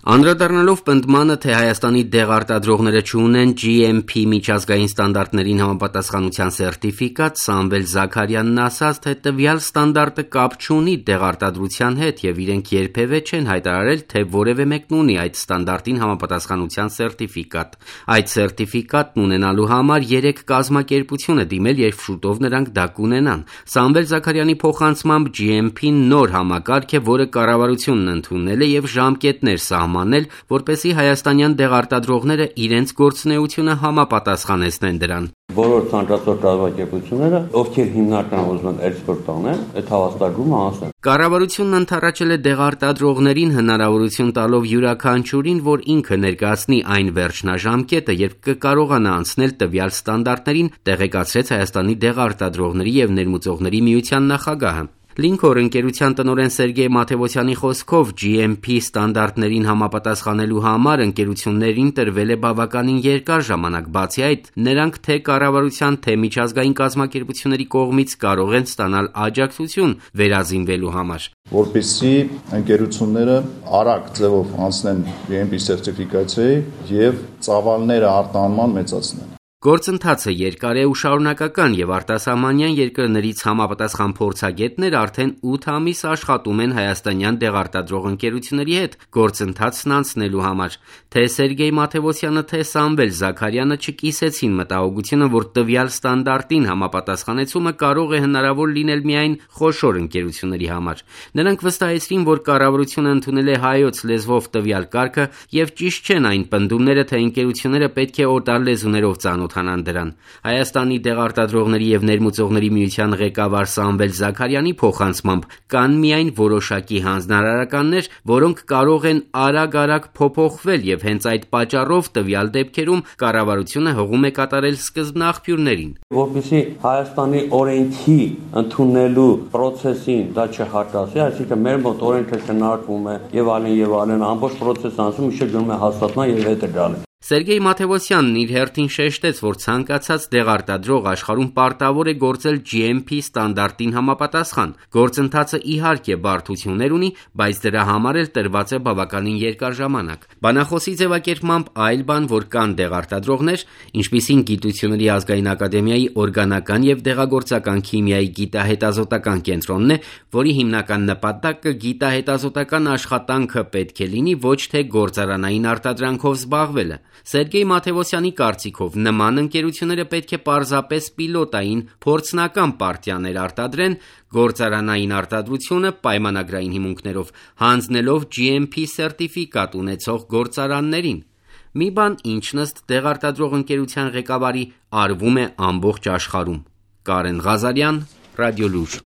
Անդրադառնալով պնդմանը, թե Հայաստանի դեղարտադրողները չունեն GMP միջազգային ստանդարտներին համապատասխանության սերտիֆիկատ, Սամվել Զաքարյանն ասաց, թե տվյալ ստանդարտը կապ չունի դեղարտադրության հետ եւ իրենք երբևէ չեն հայտարարել, թե որևէ մեկն ունի այդ ստանդարտին համապատասխանության սերտիֆիկատ։ Այդ սերտիֆիկատն ունենալու համար 3 կազմակերպություն է դիմել, երբ շուտով նրանք դա կունենան։ Սամվել Զաքարյանի փոխանցմամբ GMP-ն նոր համակարգ է, որը կառավարությունն ընդունել է եւ ժամկետներ սահմանել, որպեսզի հայաստանյան դեղարտադրողները իրենց գործունեությունը համապատասխանեցնեն դրան։ Բոլոր ցանկացող կազմակերպությունները, ովքեր հիմնականում ուզում են էքսպորտ անեն, այդ հավաստագրումը անեն։ Կառավարությունն ընդառաջել է դեղարտադրողներին հնարավորություն տալով յուրաքանչյուրին, որ ինքը ներկայացնի այն վերջնաժամկետը, երբ կկարողանա անցնել տվյալ ստանդարտներին, տեղեկացրեց Հայաստանի դեղարտադրողների եւ ներմուծողների միության նախագահը։ Լինքոր ընկերության տնօրեն Սերգեյ Մաթևոսյանի խոսքով GMP ստանդարտներին համապատասխանելու համար ընկերություններին տրվել է բավականին երկար ժամանակ, բացի այդ, նրանք թե կառավարության, թե միջազգային կազմակերպությունների կողմից կարող են ստանալ աջակցություն վերազինվելու համար։ Որպեսզի ընկերությունները արագ ձևով անցնեն GMP սերտիֆիկացիայի եւ ծավալները արտահանման մեծացնեն։ Գործընթացը երկար է ու շարունակական եւ արտասահմանյան երկրներից համապատասխան փորձագետներ արդեն 8 ամիս աշխատում են հայաստանյան դեղարտադրող ընկերությունների հետ գործընթացն անցնելու համար։ Թե Սերգեյ Մաթևոսյանը, թե Սամվել Զաքարյանը չկիսեցին մտահոգությունը, որ տվյալ ստանդարտին համապատասխանեցումը կարող է հնարավոր լինել միայն խոշոր ընկերությունների համար։ Նրանք վստահեցրին, որ կառավարությունը ընդունել է հայոց լեզվով տվյալ կարգը եւ ճիշտ չեն այն պնդումները, թե ընկերությունները պետք է օտար լեզուներով ծանոթանան դրան։ Հայաստանի դեղարտադրողների եւ ներմուծողների միության ղեկավար Սամվել Զաքարյանի փոխանցմամբ կան միայն որոշակի հանձնարարականներ, որոնք կարող են արագ փոփոխվել եւ հենց այդ պատճառով տվյալ դեպքերում կառավարությունը հողում է կատարել սկզբնաղբյուրներին։ Որպեսզի Հայաստանի օրենքի ընդունելու process-ին դա չհատասի, այսինքն մեր մոտ օրենքը քննարկվում է եւ այլն, ամբողջ process-ը անցում է գնում է հաստատման եւ հետը գալու։ Սերգեյ Մաթևոսյանն իր հերթին շեշտեց, որ ցանկացած դեղարտադրող աշխարհում պարտավոր է գործել GMP ստանդարտին համապատասխան։ Գործընթացը իհարկե բարդություններ ունի, բայց դրա համար էլ տրված է բավականին երկար ժամանակ։ Բանախոսի ձևակերպմամբ այլ բան, որ կան դեղարտադրողներ, ինչպիսին Գիտությունների ազգային ակադեմիայի օրգանական եւ դեղագործական քիմիայի գիտահետազոտական կենտրոնն է, որի հիմնական նպատակը գիտահետազոտական աշխատանքը պետք է լինի, ոչ թե գործարանային արտադրանքով զբաղվելը։ Սերգեյ Մաթևոսյանի կարծիքով նման ընկերությունները պետք է պարզապես պիլոտային փորձնական պարտիաներ արտադրեն, գործարանային արտադրությունը պայմանագրային հիմունքներով հանձնելով GMP սերտիֆիկատ ունեցող գործարաններին։ Մի բան, ինչն ըստ դեղարտադրող ընկերության ղեկավարի արվում է ամբողջ աշխարհում։ Կարեն Ղազարյան, Ռադիոլուր։